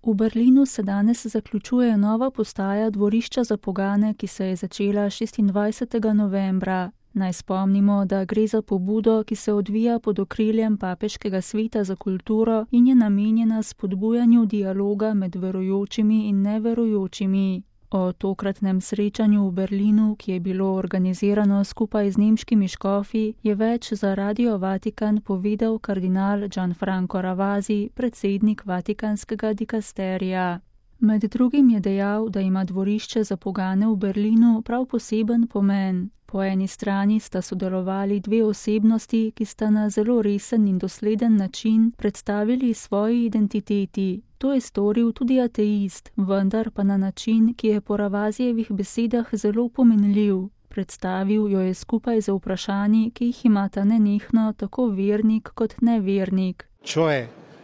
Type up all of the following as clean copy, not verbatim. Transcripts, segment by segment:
V Berlinu se danes zaključuje nova postaja dvorišča za pogane, ki se je začela 26. novembra. Naj spomnimo, da gre za pobudo, ki se odvija pod okriljem Papeškega sveta za kulturo in je namenjena spodbujanju dialoga med verujočimi in neverujočimi. O tokratnem srečanju v Berlinu, ki je bilo organizirano skupaj z nemškimi škofi, je več za Radio Vatikan povedal kardinal Gianfranco Ravasi, predsednik vatikanskega dikasterija. Med drugim je dejal, da ima dvorišče za pogane v Berlinu prav poseben pomen. Po eni strani sta sodelovali dve osebnosti, ki sta na zelo resen in dosleden način predstavili svoji identiteti. To je storil tudi ateist, vendar pa na način, ki je po Ravasijevih besedah zelo pomenljiv. Predstavil jo je skupaj z vprašanji, ki jih imata nenehno tako vernik kot nevernik.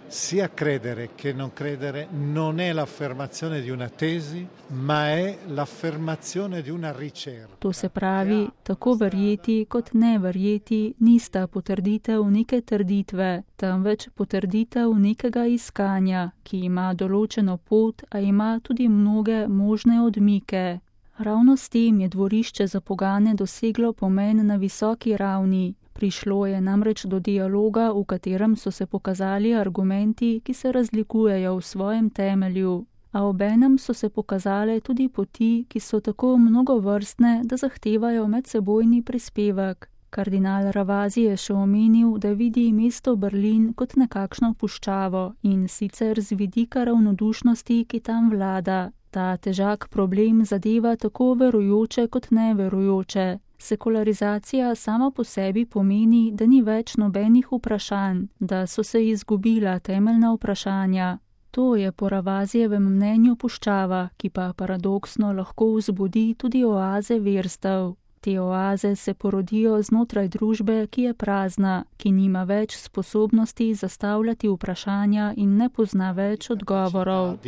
Sia credere che non credere non è l'affermazione di una tesi, ma è l'affermazione di una ricerca. To se pravi, tako verjeti kot ne verjeti nista potrditev neke trditve, temveč potrditev nekega iskanja, ki ima določeno pot, a ima tudi mnoge možne odmike. Ravno s tem je dvorišče za pogane doseglo pomen na visoki ravni. Prišlo je namreč do dialoga, v katerem so se pokazali argumenti, ki se razlikujejo v svojem temelju, a obenem so se pokazale tudi poti, ki so tako mnogovrstne, da zahtevajo medsebojni prispevek. Kardinal Ravasi je še omenil, da vidi mesto Berlin kot nekakšno puščavo in sicer z vidika ravnodušnosti, ki tam vlada. Ta težak problem zadeva tako verujoče kot neverujoče. Sekularizacija sama po sebi pomeni, da ni več nobenih vprašanj, da so se izgubila temeljna vprašanja. To je po Ravasijevem mnenju puščava, ki pa paradoksno lahko vzbudi tudi oaze verstev. Te oaze se porodijo znotraj družbe, ki je prazna, ki nima več sposobnosti zastavljati vprašanja in ne pozna več odgovorov.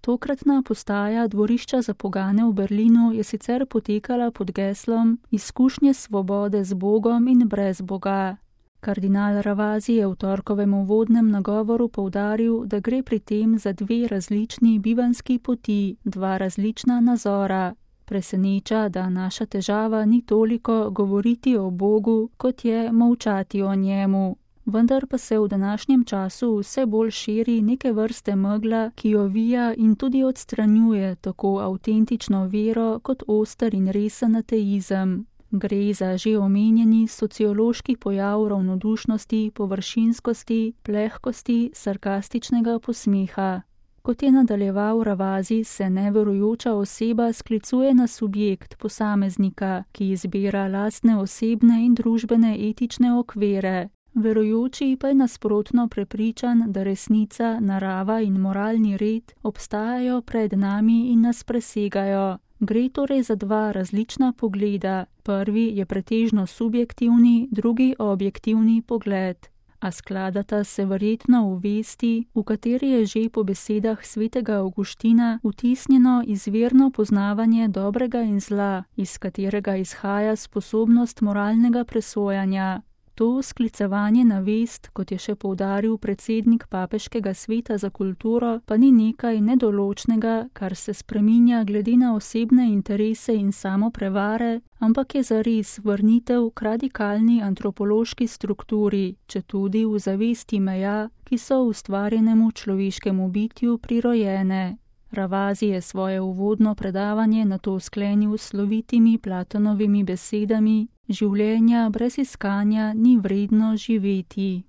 Tokratna postaja dvorišča za pogane v Berlinu je sicer potekala pod geslom Izkušnje svobode z Bogom in brez Boga. Kardinal Ravasi je v torkovem uvodnem nagovoru poudaril, da gre pri tem za dve različni bivanski poti, dva različna nazora. Preseneča, da naša težava ni toliko govoriti o Bogu, kot je molčati o njemu. Vendar pa se v današnjem času vse bolj širi neke vrste megla, ki jo vija in tudi odstranjuje tako avtentično vero kot oster in resen ateizem. Gre za že omenjeni sociološki pojav ravnodušnosti, površinskosti, plehkosti, sarkastičnega posmeha. Kot je nadaljeval Ravasi, se neverujoča oseba sklicuje na subjekt posameznika, ki izbira lastne osebne in družbene etične okvire. Verujoči pa je nasprotno prepričan, da resnica, narava in moralni red obstajajo pred nami in nas presegajo. Gre torej za dva različna pogleda. Prvi je pretežno subjektivni, drugi objektivni pogled. A skladata se verjetno v vesti, v kateri je že po besedah svetega Avguština vtisnjeno izvirno poznavanje dobrega in zla, iz katerega izhaja sposobnost moralnega presojanja. To sklicevanje na vest, kot je še poudaril predsednik Papeškega sveta za kulturo, pa ni nekaj nedoločnega, kar se spreminja glede na osebne interese in samoprevare, ampak je zares vrnitev k radikalni antropološki strukturi, četudi v zavesti meja, ki so ustvarjenemu človeškemu bitju prirojene. Ravasi je svoje uvodno predavanje nato sklenil s slovitimi Platonovimi besedami: življenja brez iskanja ni vredno živeti.